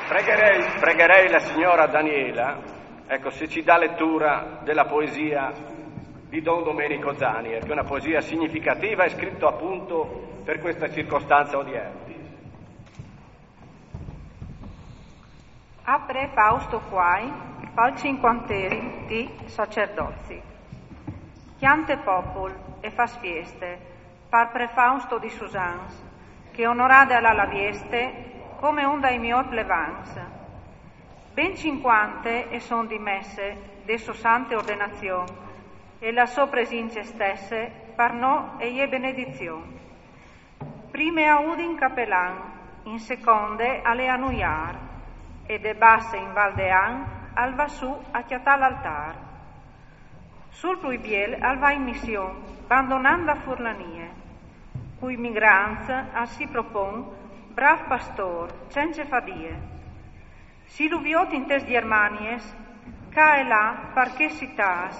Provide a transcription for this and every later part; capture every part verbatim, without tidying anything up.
Pregherei, pregherei la signora Daniela, ecco, se ci dà lettura della poesia di Don Domenico Zanier, che è una poesia significativa e scritta appunto per questa circostanza odierna. Apre Fausto Quai, pal cinquanterim di sacerdozi. Chiante popul e fas fieste, par pre Fausto di Susans, che onorade al à la vieste come un dai mior plevans. Ben cinquante e son di messe de so sante ordenazion, e la so presince stesse par no e je benedizion. Prime a Udin capelan, in seconde al è a Nuiar, e de Basse in Val de An al va su a cjatà l'altar. Sul plui biel al va in mission, bandonant la furlanie. Cui migrants al si propon, brav pastor, cence fadie. Si lu viot in tes Germanies, ca e là, par che citàs,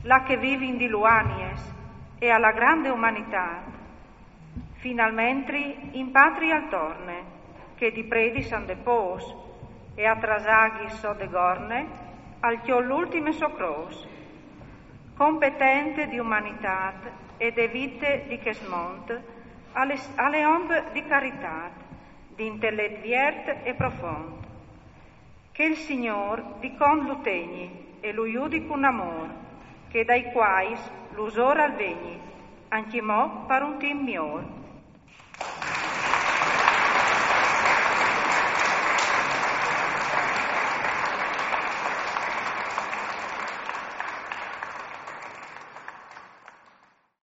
là che vivin di luanies, e a la grande umanità, finalmentri in patria al torne, che di predi san de pos, e a trasaghi so de gorne, al cjol l'ultime so cros. Competente di umanità e de vite di chest mont, al è, al è om di carità, di intellet viert e profond. Che il Signor di cont lu tegni e lu judi cun amor, che dai quais l'usor al vegni, ancjemò par un timp mior.